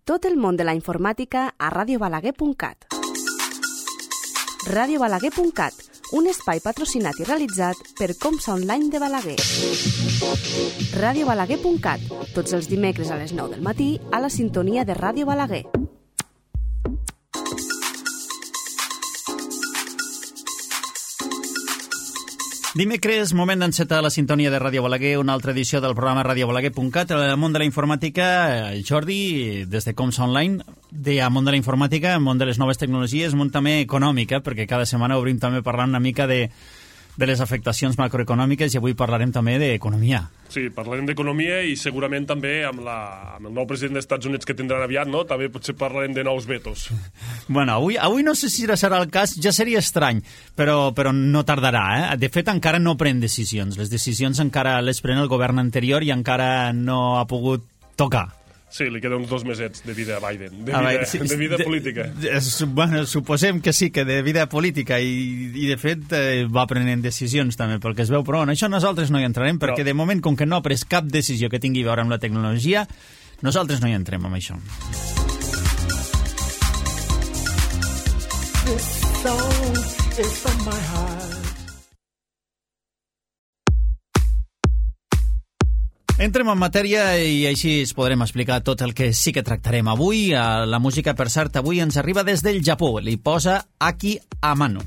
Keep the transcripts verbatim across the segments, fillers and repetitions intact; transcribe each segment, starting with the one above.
Tot el món de la informàtica a radio balaguer punt cat. radio balaguer punt cat, un espai patrocinat i realitzat per Comsa Online de Balaguer. radio balaguer punt cat, tots els dimecres a les nou del matí a la sintonia de Ràdio Balaguer. Dimecres, moment d'encetar la sintonia de Ràdio Balaguer, una altra edició del programa radio balaguer punt cat. El món de la informàtica, el Jordi, des de Comsa Online, de a món de la informàtica, món de les noves tecnologies, món també econòmica, perquè cada setmana obrim també parlant una mica de, de les afectacions macroeconòmiques i avui parlarem també d'economia. Sí, parlarem d'economia i segurament també amb, la, amb el nou president dels Estats Units que tindran aviat, no? També potser parlarem de nous vetos. Bueno, avui, avui no sé si serà el cas, ja seria estrany, però, però no tardarà, eh? De fet, encara no pren decisions. Les decisions encara les pren el govern anterior i encara no ha pogut tocar. Sí, li queden uns dos mesets de vida a Biden, de a vida, veure, sí, de vida de, política. De, de, bueno, suposem que sí, que de vida política, i, i de fet eh, va prenent decisions també, pel que es veu, però en això nosaltres no hi entrarem, perquè no. De moment, com que no ha pres cap decisió que tingui a veure amb la tecnologia, nosaltres no hi entrem amb això. This song is from my heart. Entrem en matèria i així es podrem explicar tot el que sí que tractarem avui. La música, per cert, avui ens arriba des del Japó. Li posa Aki Amano.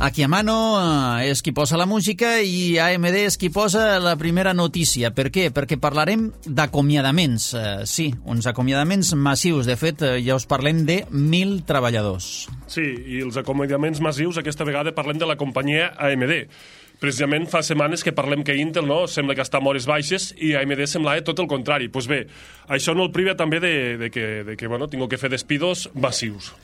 Aki Amano és qui posa la música i A M D és qui posa la primera notícia. Per què? Perquè parlarem d'acomiadaments. Sí, uns acomiadaments massius. De fet, ja us parlem de mil treballadors. Sí, i els acomiadaments massius aquesta vegada parlem de la companyia A M D. Precisament fa setmanes que parlem que Intel no sembla que està a hores baixes i A M D semblava tot el contrari. Doncs pues bé, això no el priva també de, de que, de que bueno, tinc que fer despidos massius.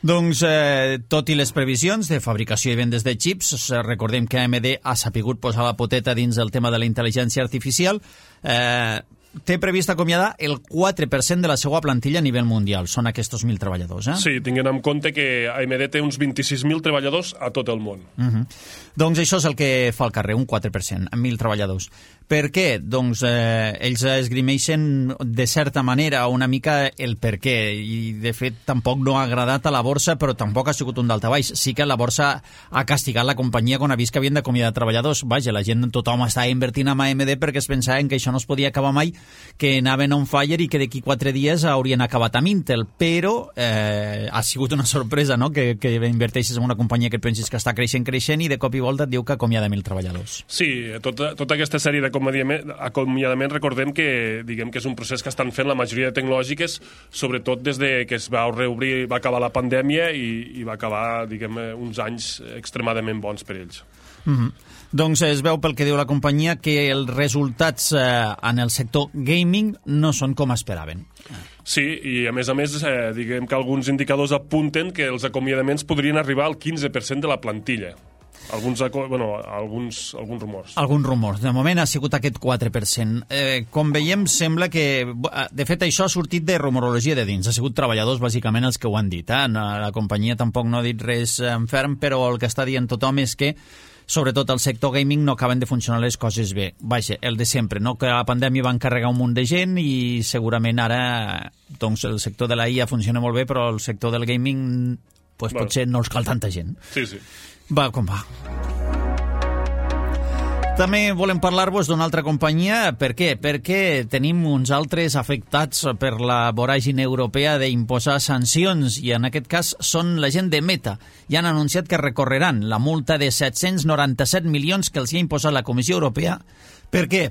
Doncs, eh, tot i les previsions de fabricació i vendes de xips, recordem que A M D ha sapigut posar la poteta dins el tema de la intel·ligència artificial, eh, té previst acomiadar el quatre per cent de la seva plantilla a nivell mundial. Són aquests mil treballadors, eh? Sí, tinguent en compte que A M D té uns vint-i-sis mil treballadors a tot el món. Uh-huh. Doncs això és el que fa el carrer, un quatre per cent, amb mil treballadors. Per què? Doncs eh, ells esgrimeixen de certa manera una mica el per què, i de fet tampoc no ha agradat a la borsa, però tampoc ha sigut un daltabaix. Sí que la borsa ha castigat la companyia quan ha vist que havien d'acomiadar treballadors. Vaja, la gent, tothom estava invertint en A M D perquè es pensaven que això no es podia acabar mai, que anaven on fire i que d'aquí quatre dies haurien acabat amb Intel, però eh, ha sigut una sorpresa, no?, que, que inverteixes en una companyia que et pensis que està creixent, creixent i de cop i volta et diu que acomiada mil treballadors. Sí, tota, tota aquesta sèrie d'acomiadaments, recordem que, diguem que és un procés que estan fent la majoria de tecnològiques, sobretot des de que es va reobrir, va acabar la pandèmia i, i va acabar, diguem, uns anys extremadament bons per ells. Mhm. Doncs es veu pel que diu la companyia que els resultats eh, en el sector gaming no són com esperaven. Sí, i a més a més, eh, diguem que alguns indicadors apunten que els acomiadaments podrien arribar al quinze per cent de la plantilla. Alguns, bueno, alguns, alguns rumors. Alguns rumors. De moment ha sigut aquest quatre per cent. Eh, com veiem, sembla que... De fet, això ha sortit de rumorologia de dins. Ha sigut treballadors, bàsicament, els que ho han dit. Eh? La companyia tampoc no ha dit res en ferm, però el que està dient tothom és que sobretot al sector gaming no acaben de funcionar les coses bé. Vaja, el de sempre, no? Que la pandèmia va encarregar un munt de gent i segurament ara doncs, el sector de la I A funciona molt bé, però el sector del gaming pues, bueno, potser no els cal tanta gent. Sí, sí. Va com va. També volem parlar-vos d'una altra companyia. Per què? Perquè tenim uns altres afectats per la voràgine europea d'imposar sancions, i en aquest cas són la gent de Meta. Ja han anunciat que recorreran la multa de set-cents noranta-set milions que els ha imposat la Comissió Europea. Per què?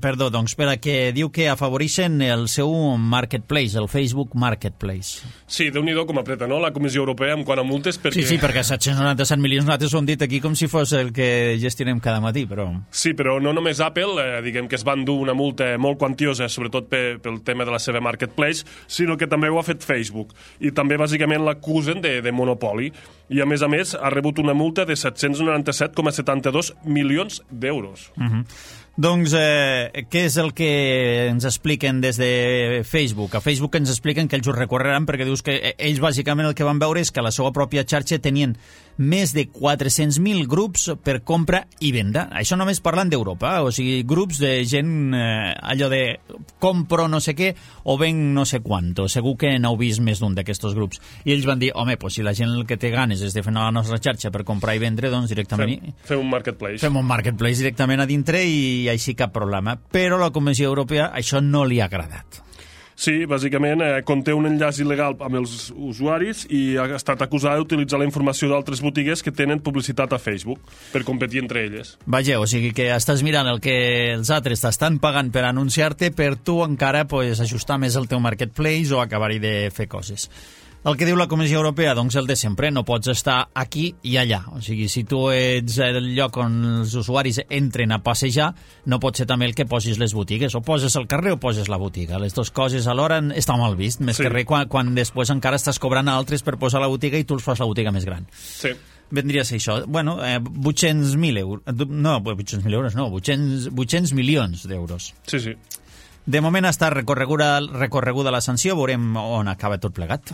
Perdó, doncs perquè diu que afavoreixen el seu marketplace, el Facebook Marketplace. Sí, Déu-n'hi-do com apreta, no?, la Comissió Europea en quant a multes, perquè... Sí, sí, perquè set-cents noranta-set milions nosaltres ho hem dit aquí com si fos el que gestionem cada matí, però... Sí, però no només Apple, eh, diguem que es van dur una multa molt quantiosa, sobretot pe, pel tema de la seva marketplace, sinó que també ho ha fet Facebook. I també, bàsicament, l'acusen de, de monopoli. I, a més a més, ha rebut una multa de set-cents noranta-set coma setanta-dos milions d'euros. Uh-huh. Doncs, eh, què és el que ens expliquen des de Facebook? A Facebook ens expliquen que ells ho recorreran perquè dius que ells bàsicament el que van veure és que a la seva pròpia xarxa tenien més de quatre-cents mil grups per compra i venda. Això només parlant d'Europa, o sigui, grups de gent, eh, allò de compro no sé què o ven no sé quanto. Segur que n'heu vist més d'un d'aquests grups. I ells van dir, home, pues, si la gent el que té ganes és de fer a la nostra xarxa per comprar i vendre, doncs directament... Fem, fem un marketplace. Fem un marketplace directament a dintre i així cap problema. Però a la Comissió Europea això no li ha agradat. Sí, bàsicament eh, conté un enllaç il·legal amb els usuaris i ha estat acusada d'utilitzar la informació d'altres botigues que tenen publicitat a Facebook per competir entre elles. Vaja, o sigui que estàs mirant el que els altres t'estan pagant per anunciar-te per tu encara pues, ajustar més el teu marketplace o acabar-hi de fer coses. El que diu la Comissió Europea, doncs el de sempre, no pots estar aquí i allà. O sigui, si tu ets el lloc on els usuaris entren a passejar, no pot ser també el que posis les botigues. O poses el carrer o poses la botiga. Les dues coses alhora està mal vist, més sí. que res quan, quan després encara estàs cobrant a altres per posar la botiga i tu els fas la botiga més gran. Sí. Vendria a ser això. Bueno, eh, vuit-cents mil euros. No, vuit-cents mil euros no, vuit-cents milions d'euros. Sí, sí. De moment està recorreguda, recorreguda la sanció, veurem on acaba tot plegat.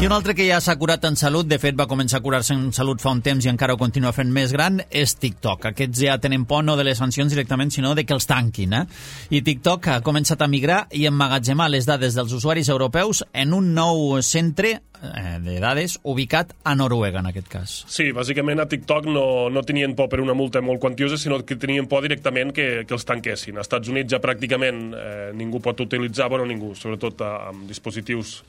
I un altre que ja s'ha curat en salut, de fet va començar a curar-se en salut fa un temps i encara ho continua fent més gran, és TikTok. Aquests ja tenen por no de les sancions directament, sinó de que els tanquin. Eh? I TikTok ha començat a migrar i emmagatzemar les dades dels usuaris europeus en un nou centre eh, de dades ubicat a Noruega, en aquest cas. Sí, bàsicament a TikTok no, no tenien por per una multa molt quantiosa, sinó que tenien por directament que, que els tanquessin. Als Estats Units ja pràcticament eh, ningú pot utilitzar, bueno, ningú, sobretot amb dispositius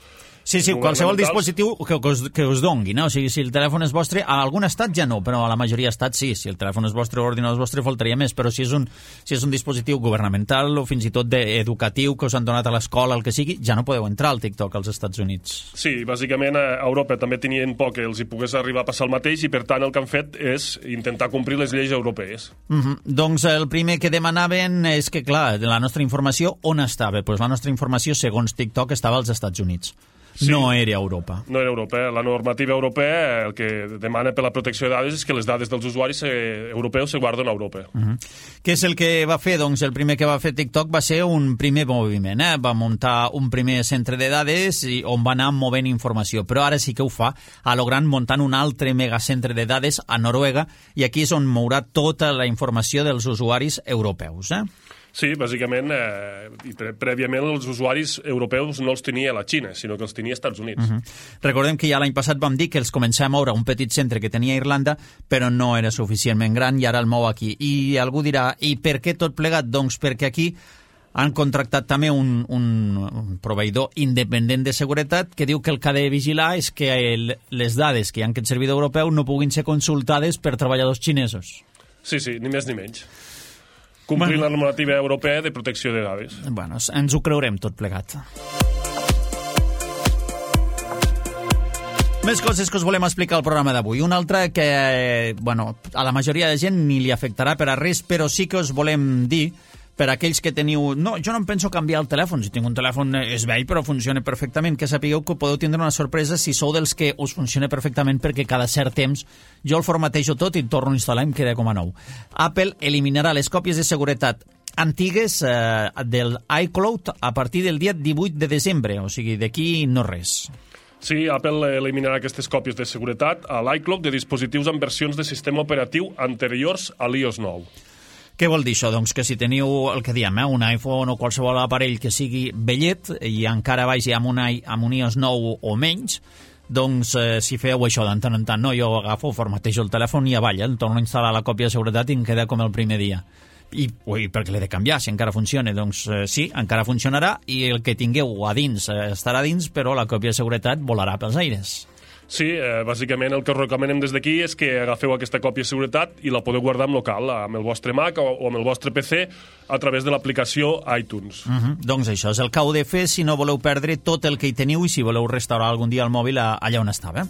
Sí, sí, qualsevol dispositiu que, que, us, que us dongui, no? O sigui, si el telèfon és vostre, a algun estat ja no, però a la majoria d'estats sí. Si el telèfon és vostre o l'ordinador és vostre, faltaria més, però si és, un, si és un dispositiu governamental o fins i tot educatiu que us han donat a l'escola, el que sigui, ja no podeu entrar al TikTok als Estats Units. Sí, bàsicament a Europa també tenien por que els hi pogués arribar a passar el mateix i per tant el que han fet és intentar complir les lleis europees. Mm-hmm. Doncs el primer que demanaven és que, clar, la nostra informació on estava? Pues la nostra informació, segons TikTok, estava als Estats Units. Sí, no era Europa. No era Europa. La normativa europea el que demana per la protecció de dades és que les dades dels usuaris eh, europeus se guarden a Europa. Uh-huh. Què és el que va fer? Doncs el primer que va fer TikTok va ser un primer moviment. Eh? Va muntar un primer centre de dades i on va anar movent informació. Però ara sí que ho fa a lo gran muntant un altre megacentre de dades a Noruega i aquí és on mourà tota la informació dels usuaris europeus. Eh? Sí, bàsicament, eh, i pre prèviament els usuaris europeus no els tenia la Xina, sinó que els tenia als Estats Units. Uh-huh. Recordem que ja l'any passat vam dir que els començava a moure un petit centre que tenia a Irlanda, però no era suficientment gran i ara el mou aquí. I algú dirà, i per què tot plegat? Doncs perquè aquí han contractat també un, un, un proveïdor independent de seguretat que diu que el que ha de vigilar és que el, les dades que hi ha en aquest servidor europeu no puguin ser consultades per treballadors xinesos. Sí, sí, ni més ni menys. Complir bueno, la normativa europea de protecció de dades. Bueno, ens ho creurem tot plegat. Més coses que us volem explicar al programa d'avui. Una altra que, bueno, a la majoria de gent ni li afectarà per a res, però sí que us volem dir per a aquells que teniu... No, jo no em penso canviar el telèfon. Si tinc un telèfon és vell però funciona perfectament. Que sapigueu que podeu tindre una sorpresa si sou dels que us funciona perfectament perquè cada cert temps jo el formatejo tot i torno a instal·lar i em queda com a nou. Apple eliminarà les còpies de seguretat antigues eh, del iCloud a partir del dia divuit de desembre. O sigui, d'aquí no res. Sí, Apple eliminarà aquestes còpies de seguretat a l'iCloud de dispositius amb versions de sistema operatiu anteriors a l'i o ess nou. Què vol dir això? Doncs que si teniu el que diem, eh, un iPhone o qualsevol aparell que sigui vellet i encara vagi amb un, amb un i o ess nou o menys, doncs eh, si feu això de tant en tant, no, jo agafo, formatejo el telèfon i avall, el torno a instal·lar la còpia de seguretat i em queda com el primer dia. I ui, per què l'he de canviar si encara funciona? Doncs eh, sí, encara funcionarà i el que tingueu a dins eh, estarà dins, però la còpia de seguretat volarà pels aires. Sí, eh, bàsicament el que us recomanem des d'aquí és que agafeu aquesta còpia de seguretat i la podeu guardar en local, amb el vostre Mac o, o amb el vostre P C a través de l'aplicació iTunes. Uh-huh. Doncs això és el que heu de fer si no voleu perdre tot el que hi teniu i si voleu restaurar algun dia el mòbil allà on estava.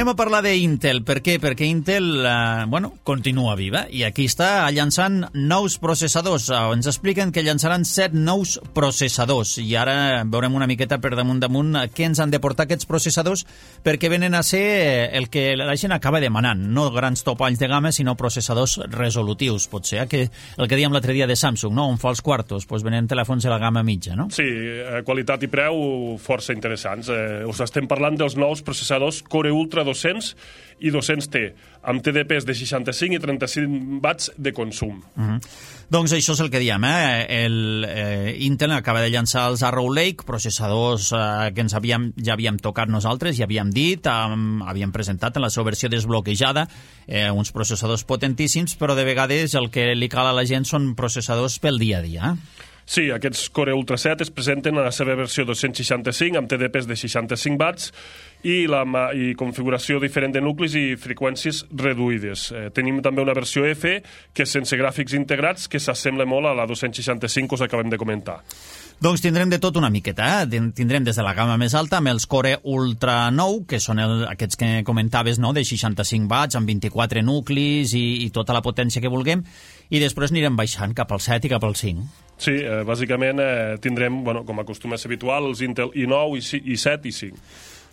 Anem a parlar d'Intel. Per què? Perquè Intel eh, bueno, continua viva i aquí està llançant nous processadors. Ens expliquen que llançaran set nous processadors i ara veurem una miqueta per damunt damunt què ens han de portar aquests processadors, perquè venen a ser el que la gent acaba demanant, no grans topalls de gamma, sinó processadors resolutius, potser, que el que dèiem l'altre dia de Samsung, no? On fa els quartos, doncs venen telèfons de la gamma mitja, no? Sí, eh, qualitat i preu força interessants. Eh, us estem parlant dels nous processadors Core Ultra dos-cents i dos-cents T, amb T D Ps de seixanta-cinc i trenta-cinc watts de consum. Uh-huh. Doncs això és el que diem, eh? El, eh, Intel acaba de llançar els Arrow Lake, processadors eh, que ens havíem, ja havíem tocat nosaltres, ja havíem dit, eh, havíem presentat en la seva versió desbloquejada, eh, uns processadors potentíssims, però de vegades el que li cal a la gent són processadors pel dia a dia. Sí, aquests Core Ultra set es presenten a la seva versió dos-cents seixanta-cinc amb T D Ps de seixanta-cinc watts i, la, i configuració diferent de nuclis i freqüències reduïdes. Eh, tenim també una versió F que és sense gràfics integrats, que s'assembla molt a la dos-cents seixanta-cinc que us acabem de comentar. Doncs tindrem de tot una miqueta, eh? Tindrem des de la gamma més alta amb els Core Ultra nou, que són el, aquests que comentaves, no?, de seixanta-cinc watts, amb vint-i-quatre nuclis i, i tota la potència que vulguem, i després anirem baixant cap al set i cap al cinc. Sí, eh, bàsicament eh, tindrem, bueno, com acostuma a ser habitual, els Intel i nou, i set i cinc.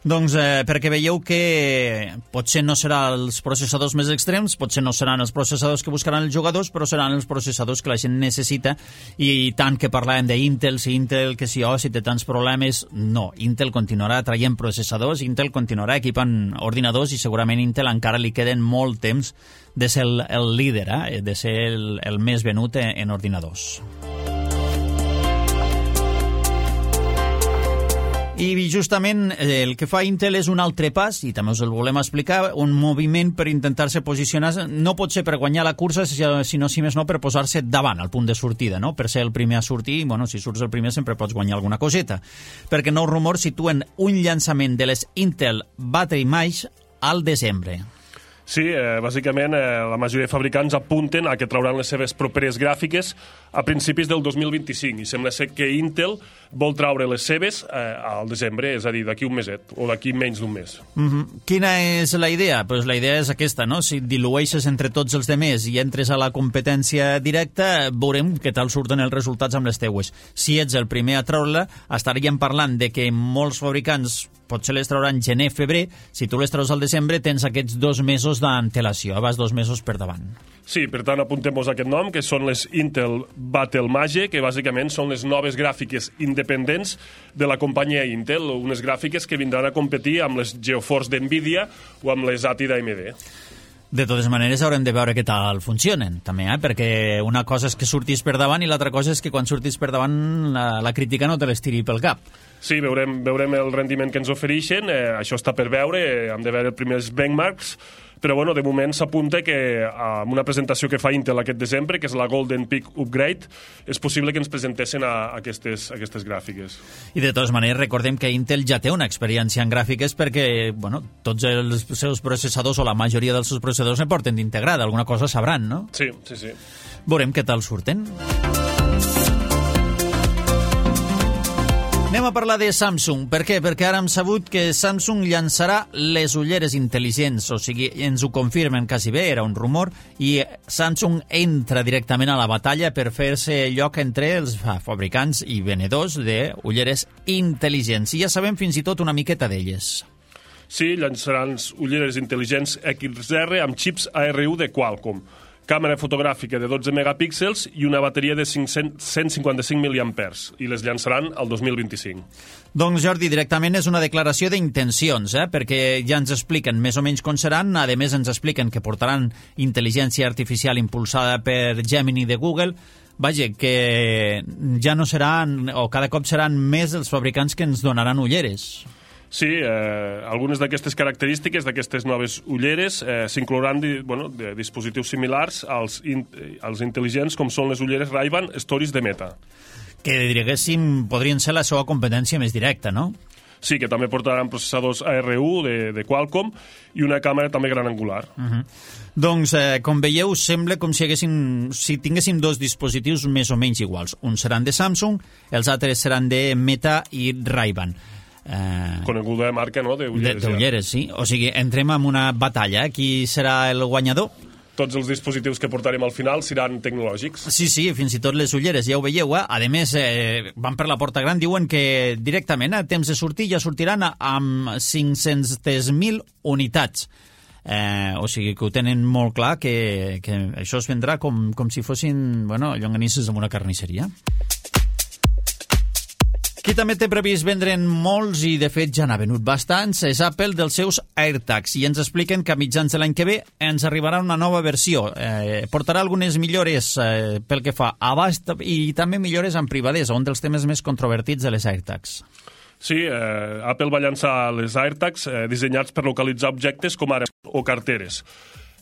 Doncs eh, perquè veieu que potser no seran els processadors més extrems, potser no seran els processadors que buscaran els jugadors, però seran els processadors que la gent necessita, i tant que parlàvem d'Intel, si Intel, que si, oh, si té tants problemes, no. Intel continuarà traient processadors, Intel continuarà equipant ordinadors i segurament Intel encara li queden molt temps de ser el, el líder, eh? De ser el, el més venut en, en ordinadors. I justament el que fa Intel és un altre pas, i també us el volem explicar, un moviment per intentar-se posicionar, no pot ser per guanyar la cursa, sinó, si més no, per posar-se davant, al punt de sortida, no? Per ser el primer a sortir, bueno, si surts el primer sempre pots guanyar alguna coseta, perquè nous rumors situen un llançament de les Intel Battery Mesh al desembre. Sí, eh, bàsicament eh, la majoria de fabricants apunten a que trauran les seves properes gràfiques a principis del dos mil vint-i-cinc, i sembla ser que Intel vol traure les seves eh, al desembre, és a dir, d'aquí un meset, o d'aquí menys d'un mes. Mm-hmm. Quina és la idea? Pues la idea és aquesta, no? Si dilueixes entre tots els demés i entres a la competència directa, veurem què tal surten els resultats amb les teues. Si ets el primer a treure-la, estaríem parlant de que molts fabricants potser les trauran gener-febrer, si tu les treus al desembre tens aquests dos mesos d'antelació, vas dos mesos per davant. Sí, per tant, apuntem-nos aquest nom, que són les Intel Battle Mage, que bàsicament són les noves gràfiques independents de la companyia Intel, unes gràfiques que vindran a competir amb les GeForce d'NVIDIA o amb les A T I d'A M D. De totes maneres, haurem de veure què tal funcionen, també, eh? Perquè una cosa és que surtis per davant i l'altra cosa és que quan surtis per davant la, la crítica no te l'estiri pel cap. Sí, veurem, veurem el rendiment que ens ofereixen, eh, això està per veure, eh, hem de veure els primers benchmarks, però bueno, de moment s'apunta que amb una presentació que fa Intel aquest desembre, que és la Golden Peak Upgrade, és possible que ens presentessin a, a aquestes, a aquestes gràfiques. I de totes maneres recordem que Intel ja té una experiència en gràfiques perquè bueno, tots els seus processadors o la majoria dels seus processadors ne porten d'integrada, alguna cosa sabran, no? Sí, sí, sí. Veurem què tal surten. Anem a parlar de Samsung. Per què? Perquè ara hem sabut que Samsung llançarà les ulleres intel·ligents, o sigui, ens ho confirmen quasi bé, era un rumor, i Samsung entra directament a la batalla per fer-se lloc entre els fabricants i venedors d'ulleres intel·ligents. I ja sabem fins i tot una miqueta d'elles. Sí, llançaran ulleres intel·ligents X R amb xips A R U de Qualcomm, càmera fotogràfica de dotze megapíxels i una bateria de cent cinquanta-cinc miliampers, i les llançaran el dos mil vint-i-cinc. Doncs, Jordi, directament és una declaració d'intencions, eh? Perquè ja ens expliquen més o menys com seran, a més ens expliquen que portaran intel·ligència artificial impulsada per Gemini de Google. Vaja, que ja no seran, o cada cop seran més els fabricants que ens donaran ulleres. Sí, eh, algunes d'aquestes característiques, d'aquestes noves ulleres, eh, s'inclouran di, bueno, de dispositius similars als, in, als intel·ligents, com són les ulleres Ray-Ban Stories de Meta. Que, diguéssim, podrien ser la seva competència més directa, no? Sí, que també portaran processadors A R U de, de Qualcomm i una càmera també gran angular. Uh-huh. Doncs, eh, com veieu, sembla com si, haguéssim, si tinguéssim dos dispositius més o menys iguals. Uns seran de Samsung, els altres seran de Meta i Ray-Ban. Eh, coneguda marca, no?, d'ulleres. D'ulleres, sí. O sigui, entrem en una batalla. Qui serà el guanyador? Tots els dispositius que portarem al final seran tecnològics. Sí, sí, fins i tot les ulleres, ja ho veieu. Eh? A més, eh, van per la porta gran, diuen que directament a temps de sortir ja sortiran amb cinc-centes mil unitats. Eh, o sigui que ho tenen molt clar, que, que això es vendrà com, com si fossin, bueno, llonganisses en una carnisseria. Qui també té previst vendre'n molts, i de fet ja n'ha venut bastants, és Apple dels seus AirTags, i ens expliquen que a mitjans de l'any que ve ens arribarà una nova versió. Eh, portarà algunes millores eh, pel que fa a abast i també millores en privadesa, un dels temes més controvertits de les AirTags. Sí, eh, Apple va llançar les AirTags eh, dissenyats per localitzar objectes com ara o carteres.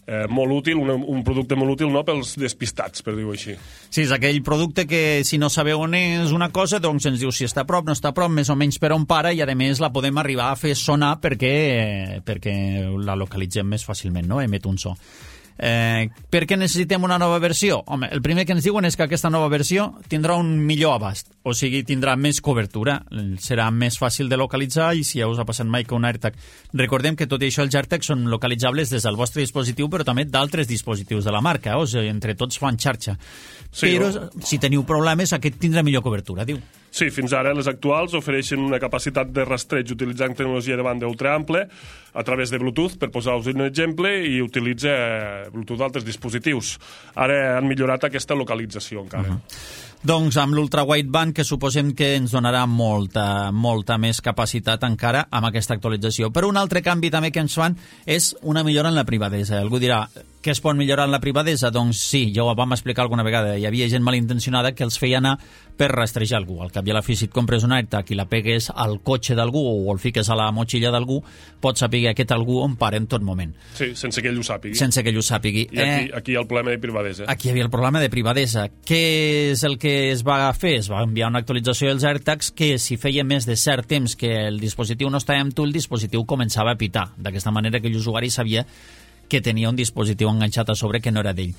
Eh, molt útil, un, un producte molt útil, no?, pels despistats, per dir-ho així. Sí, és aquell producte que si no sabeu on és una cosa, doncs ens diu si està a prop, no està a prop, més o menys per on para, i a més la podem arribar a fer sonar perquè, perquè la localitzem més fàcilment, no?, emet un so. Eh, per què necessitem una nova versió? Home, el primer que ens diuen és que aquesta nova versió tindrà un millor abast, o sigui, tindrà més cobertura, serà més fàcil de localitzar, i si ja us ha passat mai que un AirTag... Recordem que tot i això els AirTags són localitzables des del vostre dispositiu, però també d'altres dispositius de la marca, o sigui, entre tots fan xarxa. Sí, però no? Si teniu problemes, aquest tindrà millor cobertura, diu. Sí, fins ara les actuals ofereixen una capacitat de rastreig utilitzant tecnologia de banda ultraample a través de Bluetooth, per posar-vos un exemple, i utilitza Bluetooth d'altres dispositius. Ara han millorat aquesta localització encara. Uh-huh. Doncs amb l'ultra-wideband, que suposem que ens donarà molta, molta més capacitat encara amb aquesta actualització. Però un altre canvi també que ens fan és una millora en la privadesa. Algú dirà, què es pot millorar en la privadesa? Doncs sí, ja ho vam explicar alguna vegada. Hi havia gent malintencionada que els feia anar per rastrejar algú. Al cap i a la fi, si et compres un AirTag i la pegues al cotxe d'algú o el fiques a la motxilla d'algú, pots saber aquest algú on para en tot moment. Sí, sense que ell ho sàpigui. Sense que ell ho sàpigui. I aquí, aquí hi ha el problema de privadesa. Aquí hi havia el problema de privadesa. Què és el que es va fer? Es va enviar una actualització dels AirTags que, si feia més de cert temps que el dispositiu no estava amb tu, el dispositiu començava a pitar. D'aquesta manera que l'usuari sabia que tenia un dispositiu enganxat a sobre que no era d'ell.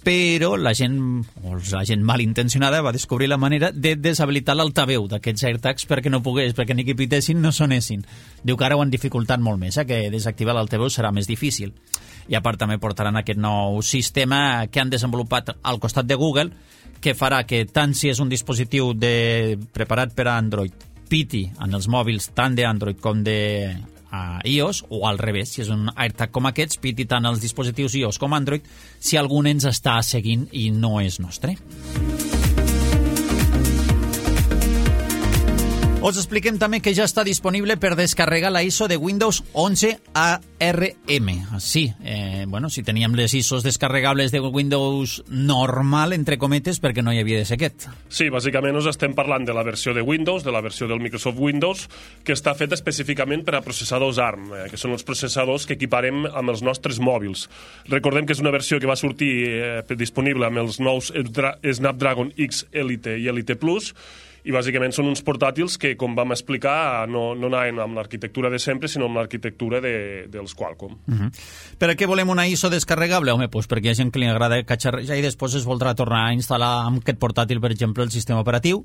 Però la gent, o la gent malintencionada, va descobrir la manera de deshabilitar l'altaveu d'aquests AirTags perquè no pogués, perquè ni que pitessin no sonessin. Diu que ara ho han dificultat molt més, eh? Que desactivar l'altaveu serà més difícil. I a part també portaran aquest nou sistema que han desenvolupat al costat de Google, que farà que tant si és un dispositiu de, preparat per a Android, piti en els mòbils tant d'Android com de a iOS, o al revés, si és un AirTag com aquests, piti tant els dispositius iOS com Android, si algú ens està seguint i no és nostre. Us expliquem també que ja està disponible per descarregar la I S O de Windows onze A R M. Sí, eh, bueno, si teníem les I S Os descarregables de Windows normal, entre cometes, perquè no hi havia de ser aquest. Sí, bàsicament us estem parlant de la versió de Windows, de la versió del Microsoft Windows, que està feta específicament per a processadors ARM, eh, que són els processadors que equiparem amb els nostres mòbils. Recordem que és una versió que va sortir eh, disponible amb els nous Snapdragon X Elite i Elite Plus, i bàsicament són uns portàtils que, com vam explicar, no, no anaven amb l'arquitectura de sempre, sinó amb l'arquitectura de, dels Qualcomm. Uh-huh. Per a què volem una I S O descarregable? Home, doncs perquè hi ha gent que li agrada catxarrejar i després es voldrà tornar a instal·lar amb aquest portàtil, per exemple, el sistema operatiu.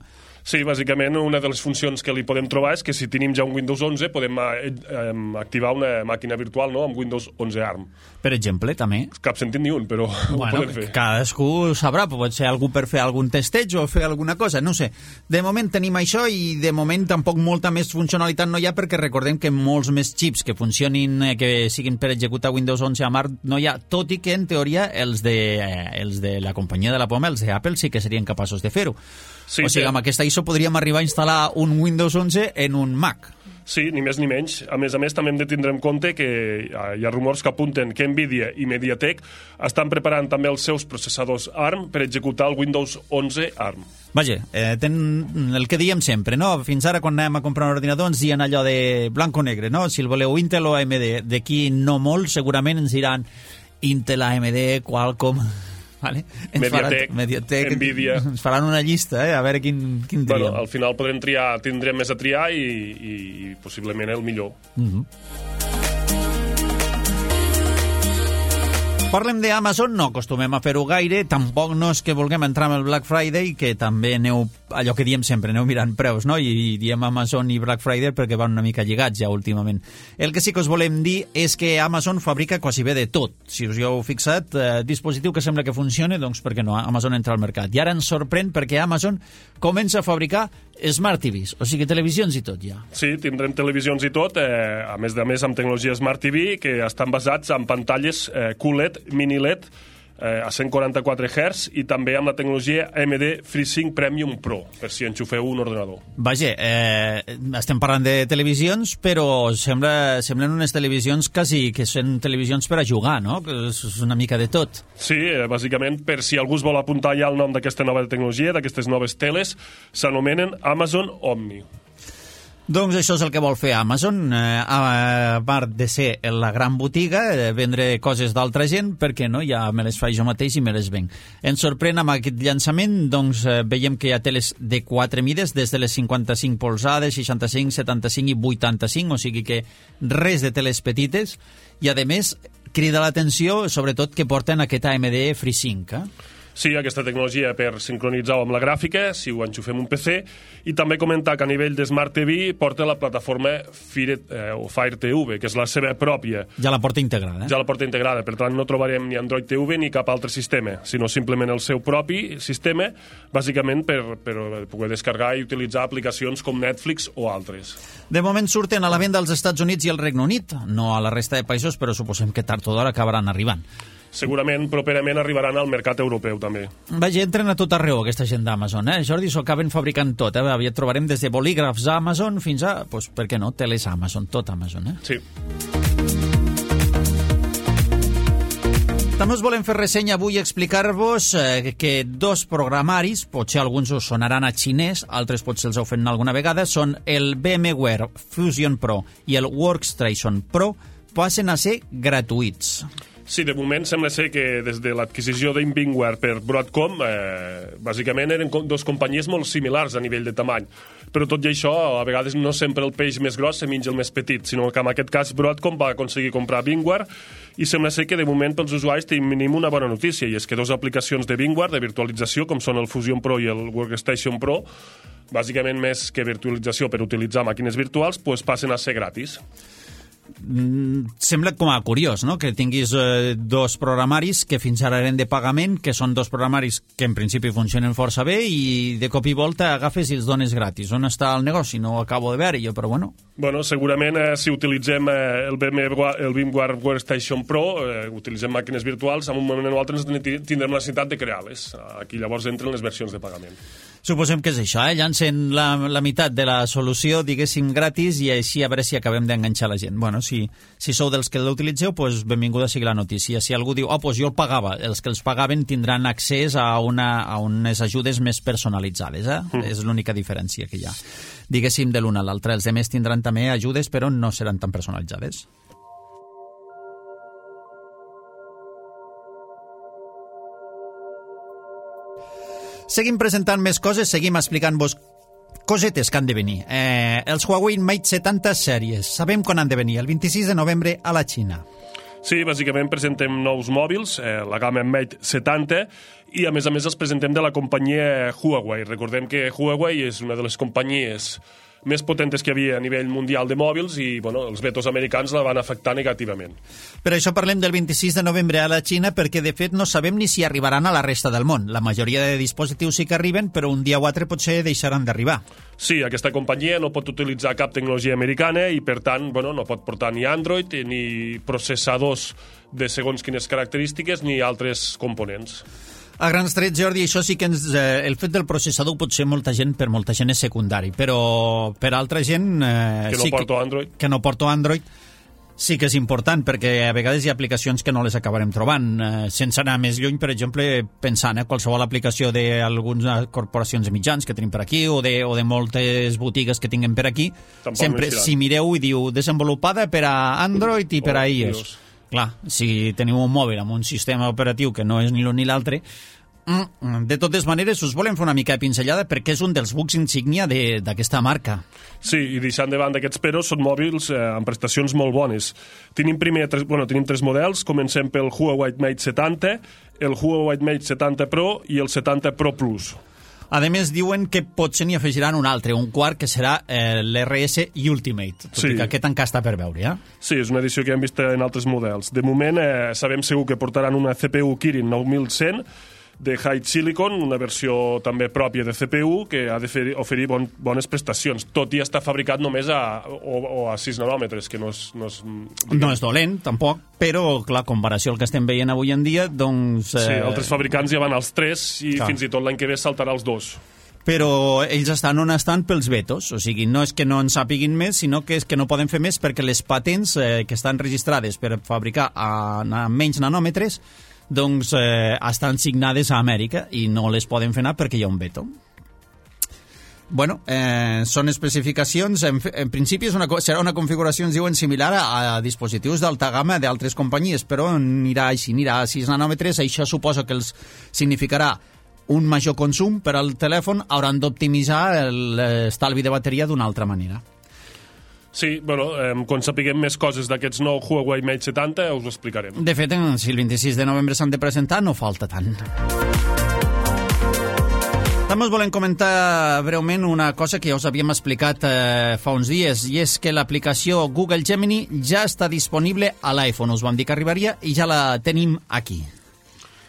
Sí, bàsicament una de les funcions que li podem trobar és que si tenim ja un Windows onze podem eh, eh, activar una màquina virtual, no?, amb Windows onze ARM. Per exemple, també. Cap sentit ni un, però bueno, ho podem fer. Cadascú sabrà, pot ser algú per fer algun testeig o fer alguna cosa, no sé. De moment tenim això i de moment tampoc molta més funcionalitat no hi ha, perquè recordem que molts més xips que funcionin, eh, que siguin per executar Windows onze a ARM no hi ha, tot i que en teoria els de, eh, els de la companyia de la poma, els d'Apple, sí que serien capaços de fer-ho. Sí, o sigui, amb aquesta I S O podríem arribar a instal·lar un Windows onze en un Mac. Sí, ni més ni menys. A més a més, també hem de tindre en compte que hi ha rumors que apunten que Nvidia i MediaTek estan preparant també els seus processadors ARM per executar el Windows onze ARM. Vaja, eh, ten el que diem sempre, no? Fins ara, quan anem a comprar un ordinador, ens diuen allò de blanc o negre, no? Si el voleu Intel o A M D. D'aquí no molt, segurament ens diran Intel, A M D, Qualcomm... Vale. Mediatek, faran, Mediatek, Nvidia. Ens faran una llista, eh? A veure quin, quin triem. Bueno, al final podrem triar, tindrem més a triar i, i, i possiblement el millor. Mm-hmm. Parlem d'Amazon, no acostumem a fer-ho gaire, tampoc no és que vulguem entrar amb el Black Friday, que també aneu, allò que diem sempre, aneu mirant preus, no? I diem Amazon i Black Friday perquè van una mica lligats ja últimament. El que sí que us volem dir és que Amazon fabrica quasi bé de tot. Si us hi heu fixat, eh, dispositiu que sembla que funcione, doncs per què no? Amazon entra al mercat. I ara ens sorprèn perquè Amazon comença a fabricar Smart T Vs, o sigui, televisions i tot ja. Sí, tindrem televisions i tot, eh, a més de més amb tecnologia Smart T V, que estan basats en pantalles eh, Q L E D, mini L E D, eh, a cent quaranta-quatre hertz, i també amb la tecnologia A M D FreeSync Premium Pro, per si enxufeu un ordenador. Vaja, eh, estem parlant de televisions, però sembla, semblen unes televisions quasi que són televisions per a jugar, no? Que és una mica de tot. Sí, eh, bàsicament, per si algú es vol apuntar ja el nom d'aquesta nova tecnologia, d'aquestes noves teles, s'anomenen Amazon Omni. Doncs això és el que vol fer Amazon, eh, a part de ser la gran botiga, eh, vendre coses d'altra gent, perquè no, ja me les faig jo mateix i me les venc. Ens sorprèn amb aquest llançament, doncs eh, veiem que hi ha teles de quatre mides, des de les cinquanta-cinc polzades, seixanta-cinc, setanta-cinc i vuitanta-cinc, o sigui que res de teles petites, i a més crida l'atenció, sobretot, que porten aquest A M D FreeSync, eh? Sí, aquesta tecnologia per sincronitzar-ho amb la gràfica, si ho enxufem un P C, i també comentar que a nivell de Smart T V porta la plataforma Fire, eh, o Fire T V, que és la seva pròpia. Ja la porta integrada. Eh? Ja la porta integrada, per tant no trobarem ni Android T V ni cap altre sistema, sinó simplement el seu propi sistema, bàsicament per, per poder descarregar i utilitzar aplicacions com Netflix o altres. De moment surten a la venda als Estats Units i al Regne Unit, no a la resta de països, però suposem que tard o d'hora acabaran arribant. Segurament, properament, arribaran al mercat europeu, també. Vaja, entren a tot arreu, aquesta gent d'Amazon, eh? Jordi, s'ho acaben fabricant tot, eh? Aviat trobarem des de bolígrafs a Amazon fins a, doncs, per què no, teles Amazon, tot Amazon, eh? Sí. També us volem fer ressenya avui i explicar-vos eh, que dos programaris, potser alguns us sonaran a xinès, altres potser els heu fet alguna vegada, són el VMware Fusion Pro i el Workstation Pro, passen a ser gratuïts. Sí, de moment sembla ser que des de l'adquisició d'Inbingware per Broadcom, eh, bàsicament eren dues companyies molt similars a nivell de tamany. Però tot i això, a vegades no sempre el peix més gros se menja el més petit, sinó que en aquest cas Broadcom va aconseguir comprar Bingware i sembla ser que de moment pels usuaris tenim una bona notícia, i és que dues aplicacions de Bingware, de virtualització, com són el Fusion Pro i el Workstation Pro, bàsicament més que virtualització per utilitzar màquines virtuals, pues passen a ser gratis. Mm, sembla com a curiós, no?, que tinguis eh, dos programaris que fins ara eren de pagament, que són dos programaris que en principi funcionen força bé, i de cop i volta agafes i els dones gratis. On està el negoci? No ho acabo de veure jo, però bueno. Bueno, segurament eh, si utilitzem eh, el VMware, el VMware Workstation Pro, eh, utilitzem màquines virtuals, en un moment o altre tindrem la necessitat de crear-les. Aquí llavors entren les versions de pagament. Suposem que és això, eh? Llancen la, la meitat de la solució, diguéssim, gratis, i així a veure si acabem d'enganxar la gent. Bueno, si, si sou dels que l'utilitzeu, doncs benvinguda sigui la notícia. Si algú diu, oh, doncs jo el pagava, els que els pagaven tindran accés a, una, a unes ajudes més personalitzades, eh? Mm. És l'única diferència que hi ha, diguéssim, de l'un a l'altre. Els altres tindran també ajudes, però no seran tan personalitzades. Seguim presentant més coses, seguim explicant-vos cosetes que han de venir. Eh, els Huawei Mate setanta sèries. Sabem quan han de venir, el vint-i-sis de novembre a la Xina. Sí, bàsicament presentem nous mòbils, eh, la gamma Mate setanta, i a més a més els presentem de la companyia Huawei. Recordem que Huawei és una de les companyies més potentes que hi havia a nivell mundial de mòbils, i bueno, els vetos americans la van afectar negativament. Per això parlem del vint-i-sis de novembre a la Xina, perquè de fet no sabem ni si arribaran a la resta del món. La majoria de dispositius sí que arriben, però un dia o altre potser deixaran d'arribar. Sí, aquesta companyia no pot utilitzar cap tecnologia americana i per tant bueno, no pot portar ni Android ni processadors de segons quines característiques ni altres components. A grans trets, Jordi, això sí que ens, eh, el fet del processador potser molta gent, per molta gent és secundari, però per altra gent... Eh, que no sí porto que, Android. Que no porto Android, sí que és important, perquè a vegades hi ha aplicacions que no les acabarem trobant. Eh, sense anar més lluny, per exemple, pensant, eh, qualsevol aplicació d'algunes corporacions de mitjans que tenim per aquí, o de, o de moltes botigues que tinguem per aquí, tampoc sempre, si mireu i diu desenvolupada per a Android i per oh, a iOS. Clar, si teniu un mòbil amb un sistema operatiu que no és ni l'un ni l'altre, Mm, de totes maneres, us volem fer una mica de pinzellada perquè és un dels bucs insígnia de- d'aquesta marca. Sí, i deixant de banda aquests peros, són mòbils eh, amb prestacions molt bones. Tenim primer tres, bueno, tenim tres models, comencem pel Huawei Mate setanta, el Huawei Mate setanta Pro i el setanta Pro Plus. A més, diuen que potser n'hi afegiran un altre, un quart, que serà eh, l'R S Ultimate, tot Sí. i que aquest encara està per veure, ja? Sí, és una edició que hem vist en altres models. De moment, eh, sabem segur que portaran una C P U Kirin nou mil cent de High Silicon, una versió també pròpia de C P U que ha de fer, oferir bon, bones prestacions, tot i estar fabricat només a, o, o a sis nanòmetres, que no és... No és, No és dolent, tampoc, però, clar, comparació al que estem veient avui en dia, doncs... Eh... Sí, altres fabricants ja van als tres i Clar. fins i tot l'any que ve saltarà als dos. Però ells estan on estan pels vetos, o sigui, no és que no en sàpiguin més, sinó que és que no poden fer més perquè les patents eh, que estan registrades per fabricar a, a menys nanòmetres doncs eh, estan signades a Amèrica i no les poden fer anar perquè hi ha un veto. Bueno, eh, són especificacions, en, en principi és una, serà una configuració, ens diuen, similar a, a dispositius d'alta gamma d'altres companyies, però anirà així, anirà a sis nanòmetres, això suposa que els significarà un major consum per al telèfon, hauran d'optimitzar l'estalvi de bateria d'una altra manera. Sí, bueno, eh, quan sapiguem més coses d'aquests nou Huawei Mate setanta us ho explicarem. De fet, si el vint-i-sis de novembre s'han de presentar, no falta tant. També us volem comentar breument una cosa que ja us havíem explicat eh, fa uns dies, i és que l'aplicació Google Gemini ja està disponible a l'iPhone. Us vam dir que arribaria i ja la tenim aquí.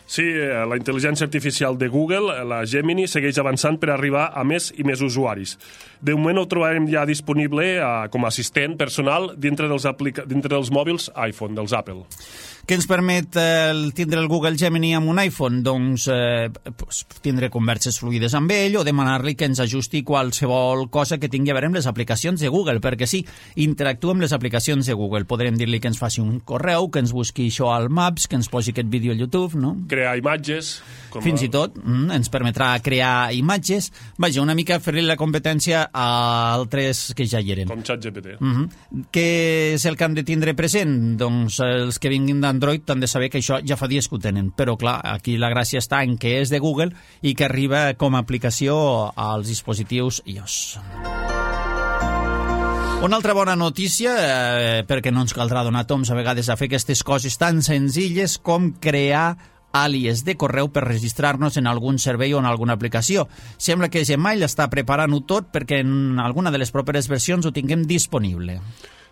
Sí, eh, la intel·ligència artificial de Google, la Gemini, segueix avançant per arribar a més i més usuaris. De moment ho trobarem ja disponible eh, com a assistent personal dintre dels, aplica dintre dels mòbils iPhone, dels Apple. Què ens permet eh, el tindre el Google Gemini amb un iPhone? Doncs eh, pues, tindre converses fluides amb ell o demanar-li que ens ajusti qualsevol cosa que tingui a veure amb les aplicacions de Google, perquè sí, interactua amb les aplicacions de Google. Podrem dir-li que ens faci un correu, que ens busqui això al Maps, que ens posi aquest vídeo al YouTube, no? Crear imatges... Com Fins a... i tot mm, ens permetrà crear imatges. Vaja, una mica fer-li la competència a altres que ja hi eren. Com ChatGPT. Mm -hmm. Què és el que hem de tindre present? Doncs els que vinguin d'Android han de saber que això ja fa dies que ho tenen. Però, clar, aquí la gràcia està en que és de Google i que arriba com a aplicació als dispositius iOS. Una altra bona notícia, eh, perquè no ens caldrà donar toms a vegades a fer aquestes coses tan senzilles com crear àlies de correu per registrar-nos en algun servei o en alguna aplicació. Sembla que Gmail està preparant-ho tot perquè en alguna de les properes versions ho tinguem disponible.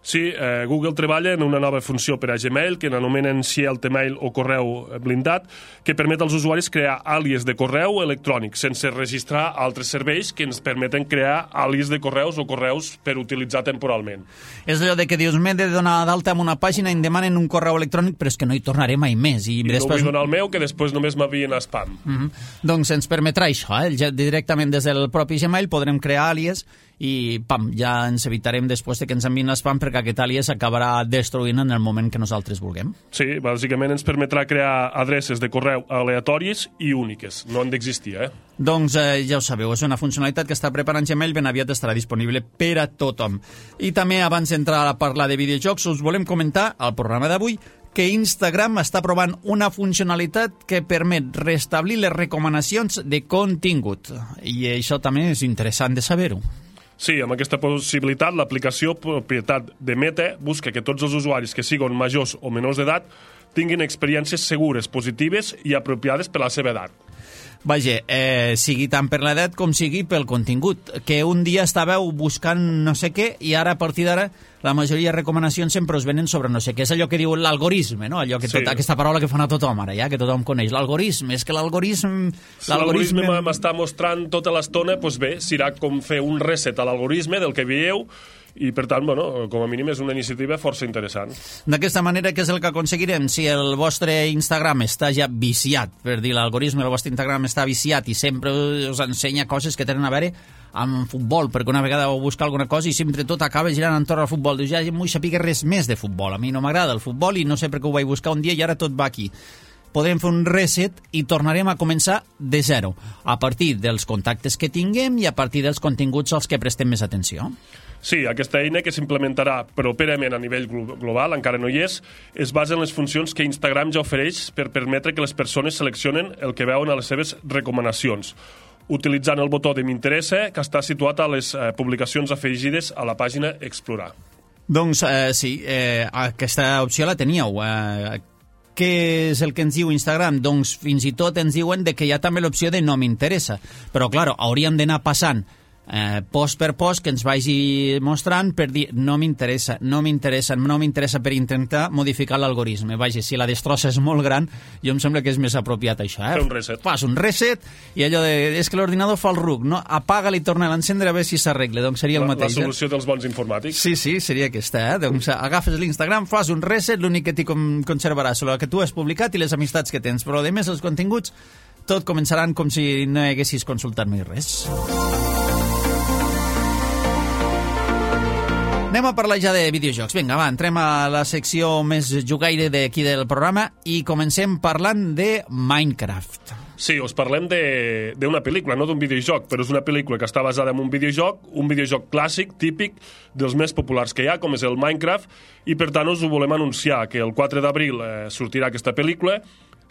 Sí, eh, Google treballa en una nova funció per a Gmail que n'anomenen Mail o correu blindat, que permet als usuaris crear àlies de correu electrònic sense registrar altres serveis que ens permeten crear àlies de correus o correus per utilitzar temporalment. És allò de que dius, m'he de donar d'alta en una pàgina i em demanen un correu electrònic, però és que no hi tornaré mai més. I, I després... no vull donar el meu, que després només m'havien a spam. Mm -hmm. Doncs ens permetrà això, eh? Ja directament des del propi Gmail podrem crear àlies i pam, ja ens evitarem després de que ens enviïn l'spam perquè aquest àlies acabarà destruint en el moment que nosaltres vulguem. Sí, bàsicament ens permetrà crear adreces de correu aleatòries i úniques. No han d'existir, eh? Doncs eh, ja ho sabeu, és una funcionalitat que està preparant Gmail, ben aviat estarà disponible per a tothom. I també, abans d'entrar a parlar de videojocs, us volem comentar al programa d'avui que Instagram està provant una funcionalitat que permet restablir les recomanacions de contingut. I això també és interessant de saber-ho. Sí, amb aquesta possibilitat, l'aplicació propietat de Meta busca que tots els usuaris que siguin majors o menors d'edat tinguin experiències segures, positives i apropiades per la seva edat. Vaja, eh, sigui tant per l'edat com sigui pel contingut. Que un dia estàveu buscant no sé què i ara, a partir d'ara, la majoria de recomanacions sempre us venen sobre no sé què. És allò que diu l'algorisme, no? Allò que tot, Sí. aquesta paraula que fa a tothom ara, ja, que tothom coneix. L'algorisme, és que l'algorisme... Si l'algorisme m'està mostrant tota l'estona, doncs bé, serà com fer un reset a l'algorisme del que veieu i, per tant, bueno, com a mínim és una iniciativa força interessant. D'aquesta manera, què és el que aconseguirem? Si el vostre Instagram està ja viciat, per dir l'algorisme, el vostre Instagram està viciat i sempre us ensenya coses que tenen a veure amb futbol, perquè una vegada vau buscar alguna cosa i sempre tot acaba girant entorn al futbol. Dius, ja no vull saber res més de futbol. A mi no m'agrada el futbol i no sé per què ho vaig buscar un dia i ara tot va aquí. podrem fer un reset i tornarem a començar de zero, a partir dels contactes que tinguem i a partir dels continguts als que prestem més atenció. Sí, aquesta eina, que s'implementarà properament a nivell global, encara no hi és, es basa en les funcions que Instagram ja ofereix per permetre que les persones seleccionen el que veuen a les seves recomanacions, utilitzant el botó de m'interessa, que està situat a les eh, publicacions afegides a la pàgina Explorar. Doncs eh, sí, eh, aquesta opció la teníeu. Eh, què és el que ens diu Instagram? Doncs fins i tot ens diuen de que hi ha també l'opció de no m'interessa. Però, clar, hauríem d'anar passant Eh, post per post que ens vagi mostrant per dir no m'interessa, no m'interessa, no m'interessa, per intentar modificar l'algoritme. Vaja, si la destrossa és molt gran, jo em sembla que és més apropiat això. Eh? Fer un reset. Fas un reset i allò de, és que l'ordinador fa el ruc, no? Apaga-li i torna a l'encendre a veure si s'arregla. Doncs seria el la, mateix. La solució eh? dels bons informàtics. Sí, sí, seria aquesta. Eh? Doncs agafes l'Instagram, fas un reset, l'únic que t'hi conservarà és el que tu has publicat i les amistats que tens, però a més els continguts tot començaran com si no haguessis consultat mai res. Anem a parlar ja de videojocs. Vinga, va, entrem a la secció més jugaire d'aquí del programa i comencem parlant de Minecraft. Sí, us parlem d'una pel·lícula, no d'un videojoc, però és una pel·lícula que està basada en un videojoc, un videojoc clàssic, típic, dels més populars que hi ha, com és el Minecraft, i per tant us ho volem anunciar, que el quatre d'abril eh, sortirà aquesta pel·lícula.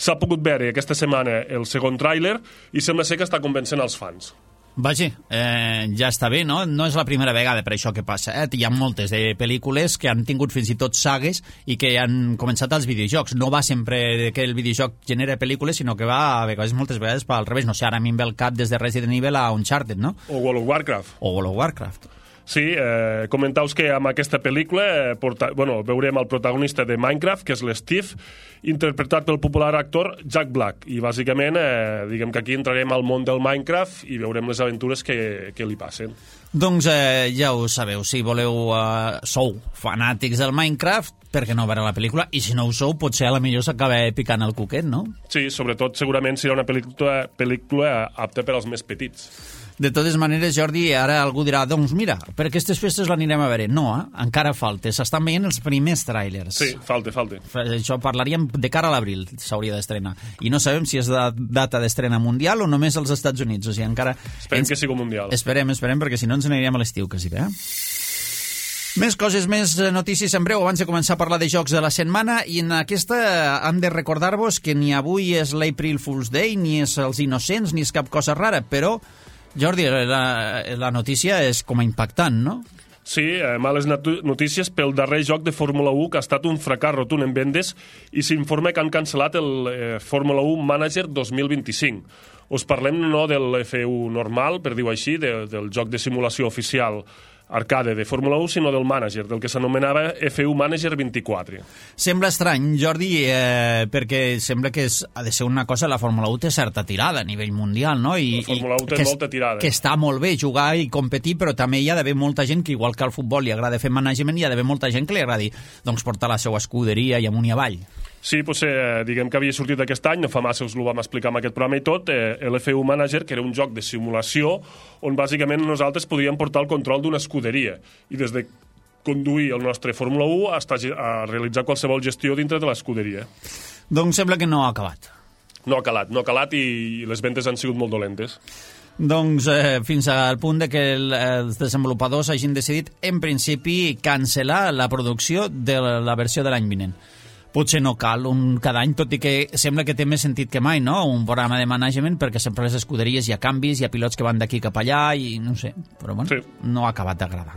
S'ha pogut veure aquesta setmana el segon tràiler i sembla ser que està convencent els fans. Vaja, eh, ja està bé, no? No és la primera vegada per això que passa. Eh? Hi ha moltes de pel·lícules que han tingut fins i tot sagues i que han començat als videojocs. No va sempre que el videojoc genera pel·lícules, sinó que va a vegades, moltes vegades al revés. No sé, ara a mi em ve el cap des de Resident Evil a Uncharted, no? O World of Warcraft. O World of Warcraft. Sí, eh, comentaus que amb aquesta pel·lícula eh, porta, bueno, veurem el protagonista de Minecraft, que és l'Steve, interpretat pel popular actor Jack Black. I bàsicament, eh, diguem que aquí entrarem al món del Minecraft i veurem les aventures que, que li passen. Doncs eh, ja ho sabeu, si voleu, eh, sou fanàtics del Minecraft, per què no veure la pel·lícula? I si no ho sou, potser a la millor s'acaba picant el cuquet, no? Sí, sobretot segurament serà una pel·lícula, pel·lícula apta per als més petits. De totes maneres, Jordi, ara algú dirà, doncs mira, per aquestes festes l'anirem a veure. No, eh? Encara falta. S'estan veient els primers tràilers. Sí, falta, falta. Això parlaríem de cara a l'abril, s'hauria d'estrenar. I no sabem si és de data d'estrena mundial o només als Estats Units. O sigui, encara... Esperem ens... que sigui mundial. Esperem, esperem, perquè si no ens aniríem a l'estiu, quasi bé. Més coses, més notícies en breu abans de començar a parlar de jocs de la setmana, i en aquesta hem de recordar-vos que ni avui és l'April Fool's Day, ni és els Innocents, ni és cap cosa rara, però, Jordi, la, la notícia és com a impactant, no? Sí, eh, males notícies pel darrer joc de Fórmula u, que ha estat un fracàs rotund en vendes, i s'informa que han cancel·lat el eh, Fórmula u Manager dos mil vint-i-cinc. Us parlem no de l'F u normal, per dir-ho així, de, del joc de simulació oficial arcade de Fórmula u, sinó del Manager, del que s'anomenava F u Manager vint-i-quatre. Sembla estrany, Jordi, eh, perquè sembla que és, ha de ser una cosa, la Fórmula u té certa tirada a nivell mundial, no? I, la Fórmula u té que, molta tirada. Que està molt bé jugar i competir, però també hi ha d'haver molta gent que, igual que al futbol li agrada fer management, hi ha d'haver molta gent que li agradi doncs, portar la seva escuderia i amunt i avall. Sí, potser, diguem que havia sortit aquest any, no fa massa us ho vam explicar amb aquest programa i tot, eh, l'F u Manager, que era un joc de simulació on bàsicament nosaltres podíem portar el control d'una escuderia i des de conduir el nostre Fórmula u a, a realitzar qualsevol gestió dintre de l'escuderia. Doncs sembla que no ha acabat. No ha calat, no ha calat i les ventes han sigut molt dolentes. Doncs eh, fins al punt de que el, els desenvolupadors hagin decidit, en principi, cancel·lar la producció de la, la versió de l'any vinent. Potser no cal un cada any, tot i que sembla que té més sentit que mai, no? Un programa de management, perquè sempre a les escuderies hi ha canvis, hi ha pilots que van d'aquí cap allà i no sé, però bueno, sí. No ha acabat d'agradar.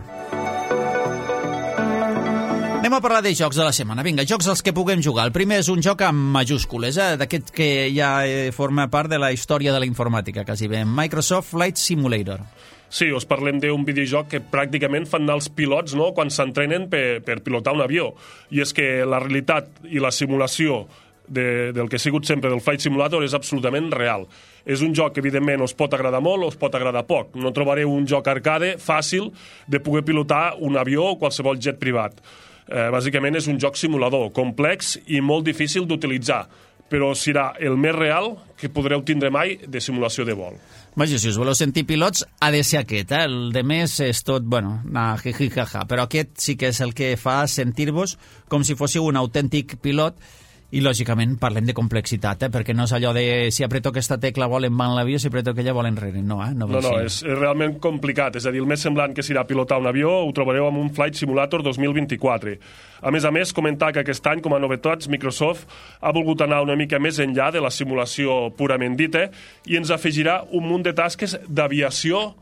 Anem a parlar de jocs de la setmana. Vinga, jocs als que puguem jugar. El primer és un joc amb majúscules, eh? D'aquest que ja eh, forma part de la història de la informàtica, quasi bé. Microsoft Flight Simulator. Sí, us parlem d'un videojoc que pràcticament fan anar els pilots, no?, quan s'entrenen per, per pilotar un avió. I és que la realitat i la simulació de, del que ha sigut sempre del Flight Simulator és absolutament real. És un joc que, evidentment, us pot agradar molt o us pot agradar poc. No trobareu un joc arcade fàcil de poder pilotar un avió o qualsevol jet privat. Eh, bàsicament és un joc simulador, complex i molt difícil d'utilitzar, però serà el més real que podreu tindre mai de simulació de vol. Vaja, si us voleu sentir pilots, ha de ser aquest, eh? El de més és tot, bueno, na, jiji, jaja, però aquest sí que és el que fa sentir-vos com si fóssiu un autèntic pilot I, lògicament, parlem de complexitat, eh? Perquè no és allò de si apreto aquesta tecla volen van l'avió, si apreto aquella volen enrere. No, eh? No, no, no és, és realment complicat. És a dir, el més semblant que serà pilotar un avió ho trobareu amb un Flight Simulator dos mil vint-i-quatre. A més a més, comentar que aquest any, com a novetats, Microsoft ha volgut anar una mica més enllà de la simulació purament dita i ens afegirà un munt de tasques d'aviació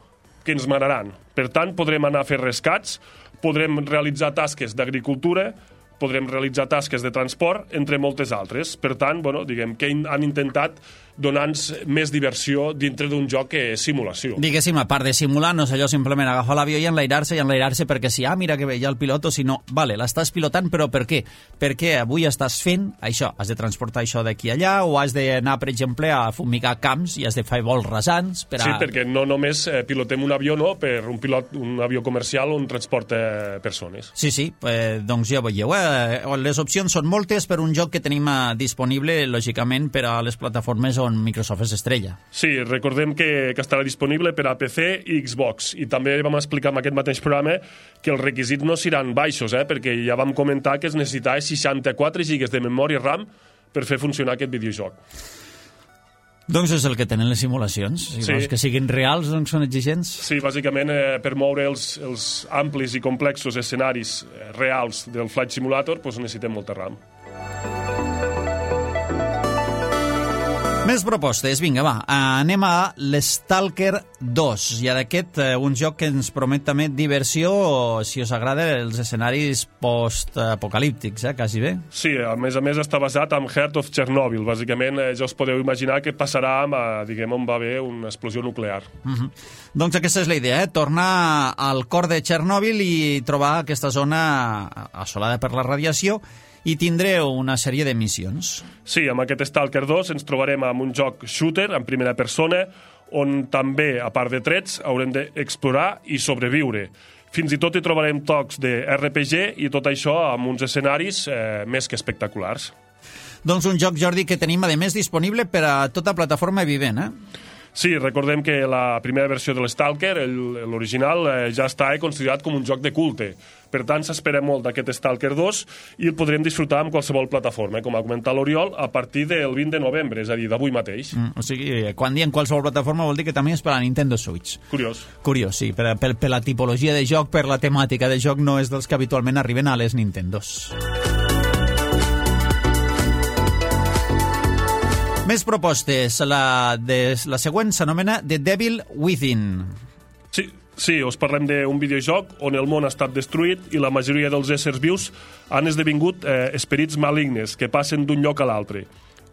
que ens manaran. Per tant, podrem anar a fer rescats, podrem realitzar tasques d'agricultura, podrem realitzar tasques de transport, entre moltes altres. Per tant, bueno, diguem que han intentat donar-nos més diversió dintre d'un joc que és simulació. Diguéssim, a part de simular, no és allò simplement agafar l'avió i enlairar-se i enlairar-se perquè si, ah, mira que bé, hi ha el pilot, o si no, vale, l'estàs pilotant, però per què? Perquè avui estàs fent això, has de transportar això d'aquí allà, o has d'anar, per exemple, a fumigar camps i has de fer vols rasants per a... Sí, perquè no només eh, pilotem un avió, no?, per un pilot, un avió comercial on transporta persones. Sí, sí, eh, doncs ja veieu, eh? Les opcions són moltes per un joc que tenim disponible, lògicament, per a les plataformes on Microsoft és estrella. Sí, recordem que, que estarà disponible per a P C i Xbox, i també vam explicar en aquest mateix programa que els requisits no seran baixos, eh, perquè ja vam comentar que es necessitava seixanta-quatre gigas de memòria RAM per fer funcionar aquest videojoc. Doncs és el que tenen les simulacions. Si sí. vols que siguin reals, doncs són exigents. Sí, bàsicament, eh, per moure els, els amplis i complexos escenaris eh, reals del Flight Simulator, doncs necessitem molta RAM. Més propostes, vinga, va. Anem a l'Stalker dos. I d'aquest, un joc que ens promet també diversió, si us agrada, els escenaris post-apocalíptics, eh, quasi bé. Sí, a més a més està basat en Heart of Chernobyl. Bàsicament, eh, ja us podeu imaginar què passarà amb, diguem, on va haver una explosió nuclear. Uh-huh. Doncs aquesta és la idea, eh? Tornar al cor de Chernobyl i trobar aquesta zona assolada per la radiació, i tindreu una sèrie de missions. Sí, amb aquest Stalker dos ens trobarem amb un joc shooter en primera persona on també, a part de trets, haurem d'explorar i sobreviure. Fins i tot hi trobarem tocs de R P G i tot això amb uns escenaris eh, més que espectaculars. Doncs un joc, Jordi, que tenim, a més, disponible per a tota plataforma vivent, eh? Sí, recordem que la primera versió de l'Stalker, l'original, eh, ja està considerat com un joc de culte. Per tant, s'espera molt d'aquest Stalker dos i el podrem disfrutar amb qualsevol plataforma, com ha comentat l'Oriol, a partir del vint de novembre, és a dir, d'avui mateix. Mm, o sigui, quan diem qualsevol plataforma vol dir que també és per a Nintendo Switch. Curiós. Curiós, sí. Per, per, per la tipologia de joc, per la temàtica de joc, no és dels que habitualment arriben a les Nintendos. Més propostes. La, de, la següent s'anomena The Devil Within. Sí, sí, us parlem d'un videojoc on el món ha estat destruït i la majoria dels éssers vius han esdevingut eh, esperits malignes que passen d'un lloc a l'altre.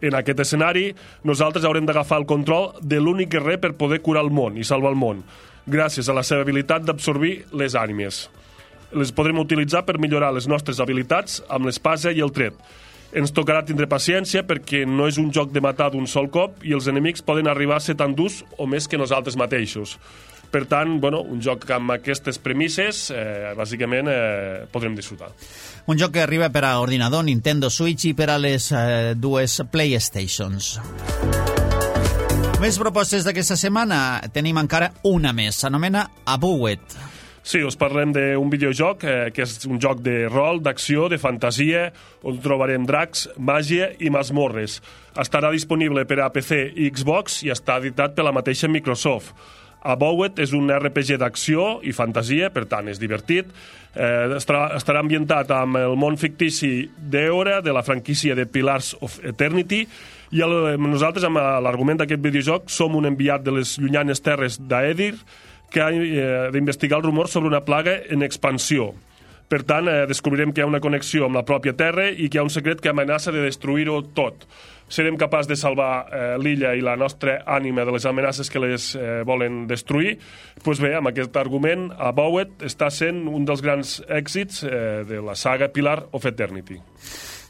En aquest escenari, nosaltres haurem d'agafar el control de l'únic guerrer per poder curar el món i salvar el món, gràcies a la seva habilitat d'absorbir les ànimes. Les podrem utilitzar per millorar les nostres habilitats amb l'espasa i el tret. Ens tocarà tindre paciència perquè no és un joc de matar d'un sol cop i els enemics poden arribar a ser tan durs o més que nosaltres mateixos. Per tant, bueno, un joc amb aquestes premisses, eh, bàsicament, eh, podrem disfrutar. Un joc que arriba per a ordinador, Nintendo Switch i per a les eh, dues PlayStations. Més propostes d'aquesta setmana, tenim encara una més, s'anomena Abowed. Sí, us parlem d'un videojoc eh, que és un joc de rol, d'acció, de fantasia, on trobarem dracs, màgia i masmorres. Estarà disponible per a P C i Xbox i està editat per la mateixa Microsoft. Abowed és un R P G d'acció i fantasia, per tant és divertit. Eh, estarà, estarà ambientat amb el món fictici d'Eora, de la franquícia de Pillars of Eternity, i el, nosaltres, amb l'argument d'aquest videojoc, som un enviat de les llunyanes terres d'Aedir, que ha eh, d'investigar el rumor sobre una plaga en expansió. Per tant, eh, descobrirem que hi ha una connexió amb la pròpia Terra i que hi ha un secret que amenaça de destruir-ho tot. Serem capaços de salvar eh, l'illa i la nostra ànima de les amenaces que les eh, volen destruir. Doncs bé, amb aquest argument, Abowed està sent un dels grans èxits eh, de la saga Pillar of Eternity.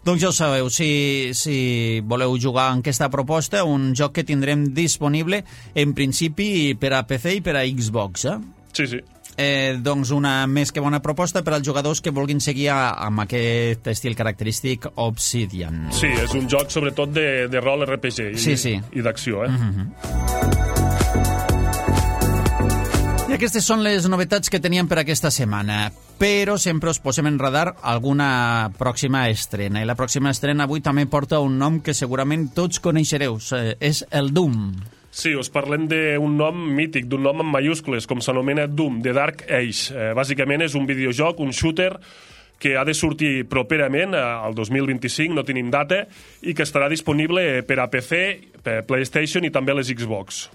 Doncs ja ho sabeu, si, si voleu jugar en aquesta proposta, un joc que tindrem disponible en principi per a P C i per a Xbox, eh? Sí, sí. Eh, doncs una més que bona proposta per als jugadors que vulguin seguir a, amb aquest estil característic Obsidian. Sí, és un joc sobretot de, de rol R P G i, sí, sí. i d'acció, eh? Mm-hmm. I Aquestes són les novetats que teníem per aquesta setmana, però sempre us posem en radar alguna pròxima estrena. I la pròxima estrena avui també porta un nom que segurament tots coneixereu, és el Doom. Sí, us parlem d'un nom mític, d'un nom en mayúscules, com s'anomena Doom, The Dark Age. Eh, bàsicament és un videojoc, un shooter, que ha de sortir properament, al dos mil vint-i-cinc, no tenim data, i que estarà disponible per a P C, per PlayStation i també les Xbox.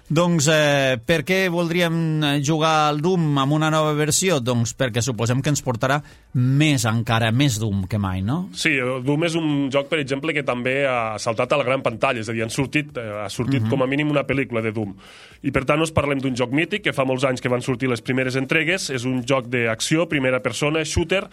Doncs eh, per què voldríem jugar al Doom amb una nova versió? Doncs perquè suposem que ens portarà més encara, més Doom que mai, no? Sí, Doom és un joc, per exemple, que també ha saltat a la gran pantalla, és a dir, han sortit, ha sortit uh-huh. com a mínim una pel·lícula de Doom. I per tant us parlem d'un joc mític, que fa molts anys que van sortir les primeres entregues, és un joc d'acció, primera persona, shooter,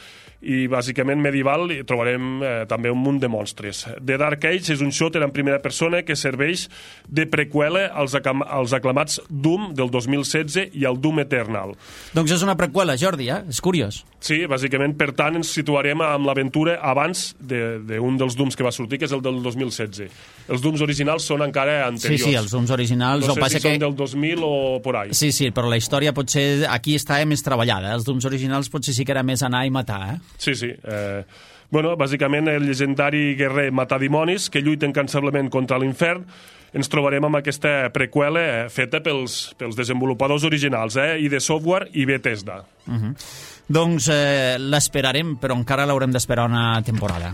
i bàsicament medieval, i trobarem eh, també un munt de monstres. The Dark Age és un shooter en primera persona que serveix de preqüela als, als aclamats Doom del dos mil setze i el Doom Eternal. Doncs és una preqüela, Jordi, eh? És curiós. Sí, bàsicament, per tant, ens situarem amb l'aventura abans d'un de, de dels Dooms que va sortir, que és el del dos mil setze. Els Dooms originals són encara anteriors. Sí, sí, els Dooms originals... No sé passa si que... són del dos mil o por ahí. Sí, sí, però la història potser aquí estava més treballada. Els Dooms originals potser sí que era més anar i matar, eh? Sí, sí. Eh, bueno, bàsicament el llegendari guerrer matadimonis que lluita incansablement contra l'infern. Ens trobarem amb aquesta preqüela eh, feta pels, pels desenvolupadors originals, eh, I D Software i Bethesda. Uh-huh. Doncs eh, l'esperarem, però encara l'haurem d'esperar una temporada.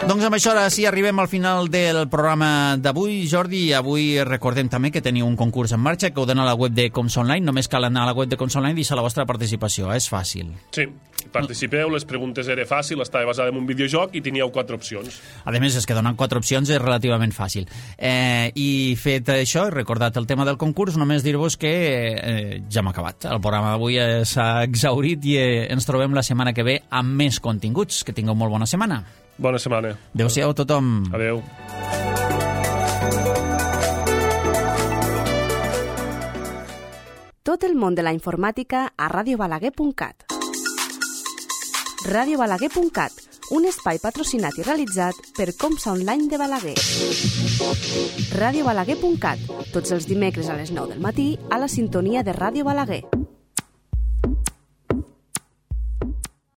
Doncs amb això ara sí arribem al final del programa d'avui, Jordi. Avui recordem també que teniu un concurs en marxa que ho donen a la web de Coms Online. Només cal anar a la web de Coms Online i deixar la vostra participació. És fàcil. Sí, participeu, les preguntes era fàcil, estava basada en un videojoc i teníeu quatre opcions. A més, és que donar quatre opcions és relativament fàcil. Eh, I fet això, he recordat el tema del concurs, només dir-vos que eh, ja hem acabat. El programa d'avui s'ha exhaurit i eh, ens trobem la setmana que ve amb més continguts. Que tingueu molt bona setmana. Bona setmana. Adéu-siau a tothom. Adéu. Tot el món de la informàtica a ràdio balaguer punt cat. ràdio balaguer punt cat, un espai patrocinat i realitzat per Comsa Online de Balaguer. ràdio balaguer punt cat, tots els dimecres a les nou del matí a la sintonia de Ràdio Balaguer.